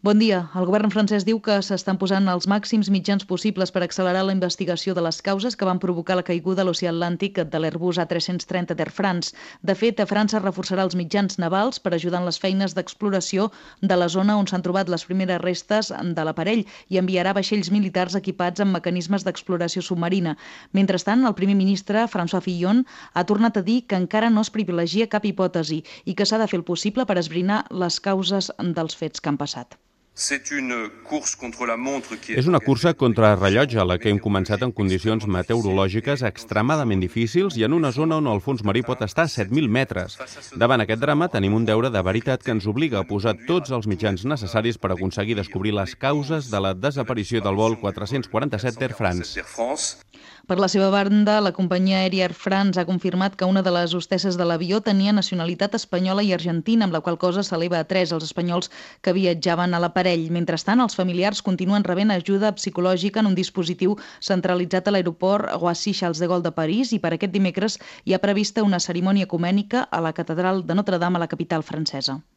Bon dia. El govern francès diu que s'estan posant els màxims mitjans possibles per accelerar la investigació de les causes que van provocar la caiguda a l'oceà Atlàntic de l'Airbus A330 d'Air France. De fet, França reforçarà els mitjans navals per ajudar en les feines d'exploració de la zona on s'han trobat les primeres restes de l'aparell i enviarà vaixells militars equipats amb mecanismes d'exploració submarina. Mentrestant, el primer ministre, François Fillon, ha tornat a dir que encara no es privilegia cap hipòtesi i que s'ha de fer el possible per esbrinar les causes dels fets que han passat. És una cursa contra rellotge, la que hem començat en condicions meteorològiques extremadament difícils i en una zona on el fons marí pot estar a 7.000 metres. Davant aquest drama tenim un deure de veritat que ens obliga a posar tots els mitjans necessaris per aconseguir descobrir les causes de la desaparició del vol 447 d'Air France. Per la seva banda, la companyia aèria Air France ha confirmat que una de les hostesses de l'avió tenia nacionalitat espanyola i argentina, amb la qual cosa s'eleva a 3 els espanyols que viatjaven a l'aparell. Mentrestant, els familiars continuen rebent ajuda psicològica en un dispositiu centralitzat a l'aeroport Roissy-Charles de Gaulle de París i per aquest dimecres hi ha prevista una cerimònia ecumènica a la catedral de Notre Dame a la capital francesa.